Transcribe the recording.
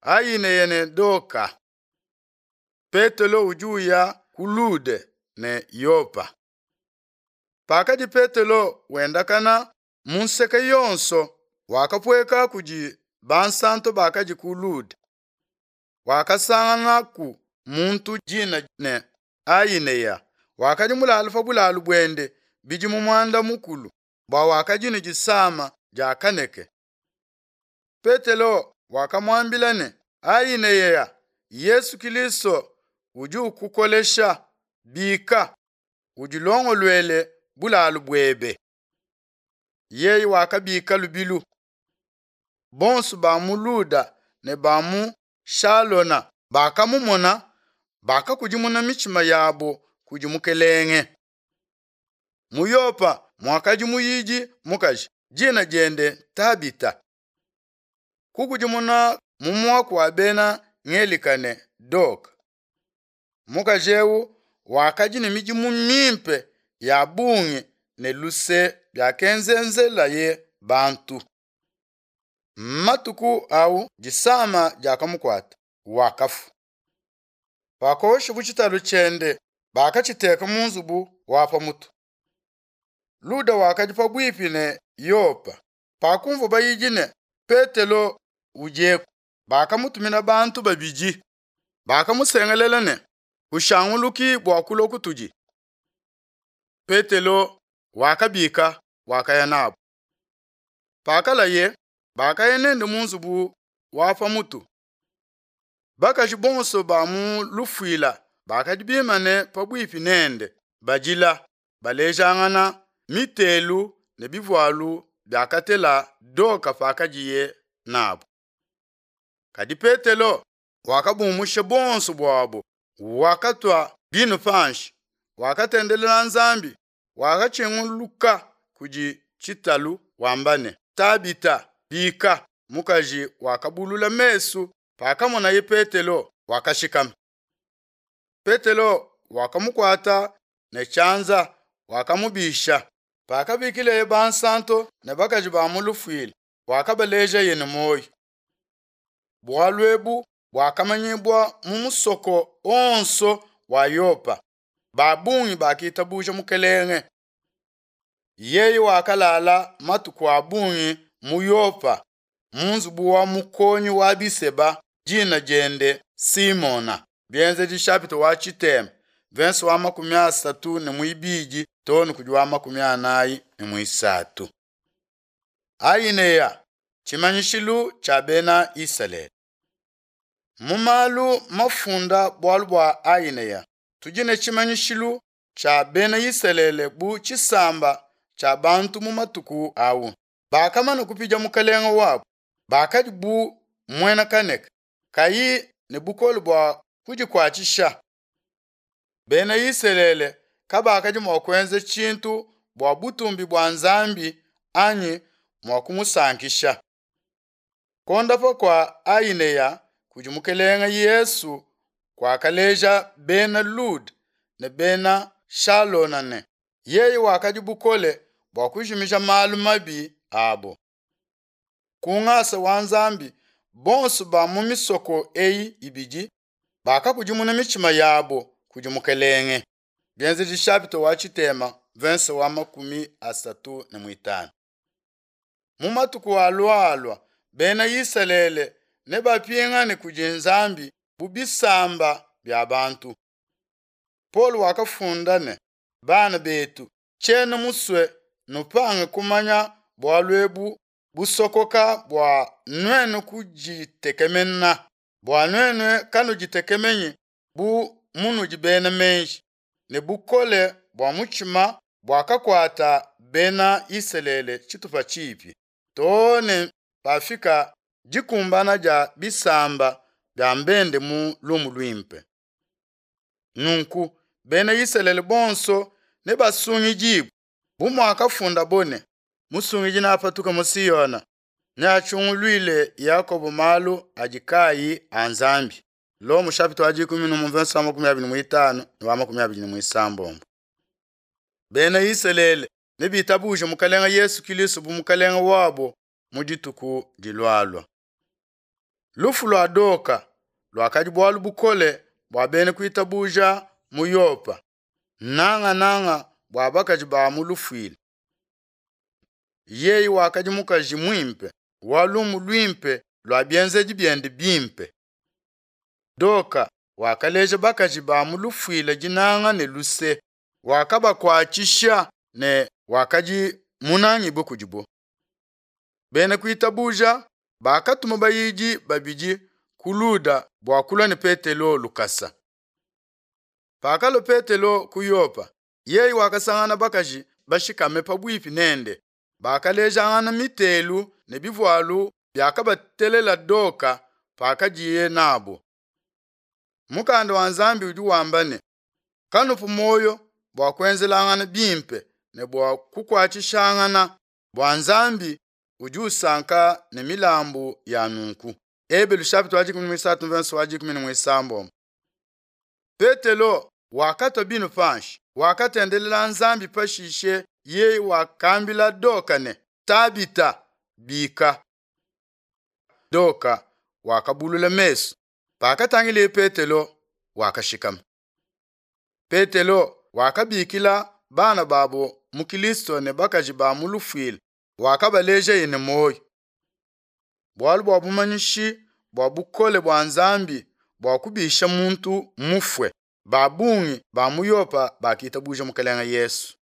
Ainea ne Doka. Petelo udi uya ku Lude ne Yopa. Pakadi Petelo wendakana mu nseke yonso, wakapueka kudi bansanto bakadi ku Lude. Wakasanganaku muntu dina ne Ainea, wakadi mulale pa bulalu buende bidimu muanda mukulu, bua wakadi ne disama dia kaneke. Petelo wakamuambila ne, Ainea, Yesu Kilisto udi ukukolesha, bika, udilongoluele bulalu buebe. Yeye wakabika lubilu. Bonso ba mu Luda ne ba mu Shalona bakamumona, bakakudimuna mitshima yabo kudi Mukelenge. Mu Yopa muakadi muyidi mukaji, dina diende Tabita. Kukudimuna mu muaku wa bena Ngelika ne Doka. Mukaji eu wakadi ne midimu mimpe ya bungi ne luse biakenzenzelaye bantu. Matuku au disama diakamukuata, wakafua. Pakoshabu tshitalu tshiende, bakatshiteka mu nzubu wa pa mutu. Luda wakadi pabuipi ne Yopa. Pakumvua bayidi ne Petelo udieku, bakamutumina bantu babidi. Bakamusengelela ne, Kushanguluki bua kulua kutudi. Petelo wakabika, wakaya nabu. Pakalaye, bakaya nende mu nzubu wa pa mutu. Bakaji bonso ba mu lufuila bakadi bimane pabuipi nende, badila, balejangana mitelu ne bivualu biakatela Doka pakadiye nabu. Kadi Petelo wakabumusha bonso buabo, wakatua binu panshi, wakatendelela Nzambi, wakatshinguluka kudi tshitalu wamba ne, Tabita, bika. Mukaji wakabulula mesu, pakamonaye Petelo, wakashikama. Petelo wakamukuata ne tshianza, wakamubisha. Pakabikileye bansanto ne bakaji ba mu lufuila, wakabalejaye ne muoyo. Bualu ebu buakamanyibua mu musoko onso wa Yopa. Ba bungi bakitabuja Mukelenge. Yeye wakalala matuku a bungi mu Yopa, mu nzubu wa mukonyi wa biseba, dina diende Simona. Bienzedi chapitre wa tshitema, verse wa 32 too ne kudi wa 43. Ainea, tshimanyishilu tshia bena Isalele. Mu malu mafunda bualu bua Ainea, tudi ne tshimanyishilu tshia bena Isalele bu tshisamba tshia bantu mu matuku au. Bakamana kupidia mukelenge wabo, bakadi bu muena kaneke, kayi ne bukole bua kudikuatshisha. Bena Isalele kabakadi mua kuenza tshintu bua butumbi bua Nzambi anyi mua kumusankisha. Kuondapa kua Ainea kudi Mukelenge Yesu kuakaleja bena Lude ne bena Shalona ne, yeye wakadi bukole bua kujimija malu mabi abo. Ku ngasa wa Nzambi, bonso ba mu misoko eyi ibidi bakakudimuna mitshima yabo kudi Mukelenge. Bienzedi chapitre wa tshitema, verse wa 35. Mu matuku alualua, bena Isalele nebapingane kudi Nzambi bu bisamba bia bantu. Paul wakafunda ne, bana betu, tshiena musue nupange kumanya bualu ebu busokoka bua nuenu kuditekemena, bua nuenu kanuditekemenyi bu munudi bena meji, ne bukole bua mutshima buakakuata bena Isalele tshitupa tshipi, too ne pafika dikumbana dia bisamba bia mbende mu lumu luimpe. Nunku bena Isalele bonso nebasungidibue, bu muakafundabo ne, Musungidi neapatuke mu Siona, neatshunguluile Yakobo malu adi kayi a Nzambi. Lomo chapitre wa 11 verset wa 25 ne wa 26. Bena Isalele nebitabuje Mukelenge Yesu Kilisto bu Mukelenge wabo mu dituku dilualua. Lufu lua Doka luakadi bualu bukole bua bena kuitabuja mu Yopa, nangananga bua bakaji ba mu lufuila. Yeye wakadi mukaji muimpe wa lumu luimpe lua bienzedi biende bimpe. Doka wakaleja bakaji ba mu lufuila dinanga ne luse, wakabakuatshisha ne wakadi munangibue kudibo. Bena kuitabuja bakatuma bayidi babidi ku Luda bua kulua ne Petelo lukasa. Pakalua Petelo ku Yopa, yeye wakasangana bakaji bashikame pabuipi nende, bakalejangana mitelu ne bivualu biakabatelela Doka pakadiye nabo. Mukanda wa Nzambi udi wamba ne, Kanupu muoyo bua kuenzelangana bimpe ne bua kukuatshishangana, bua Nzambi udi usanka ne milambu ya nunku. Ebelu chapitre wa 13 verse wa 16. Petelo wakatua binu panshi, wakatendelela Nzambi pashishe yeye wakambila Doka ne, Tabita, bika. Doka wakabulula mesu. Pakatangileye Petelo, wakashikama. Petelo wakabikila bana babo mu Kristo ne bakaji ba mu lufuila, wakabalejaye ne muoyo. Bualu bua bumanyishi bua bukole bua Nzambi bua kubisha muntu mufue, ba bungi ba mu Yopa bakitabuja Mukelenge Yesu.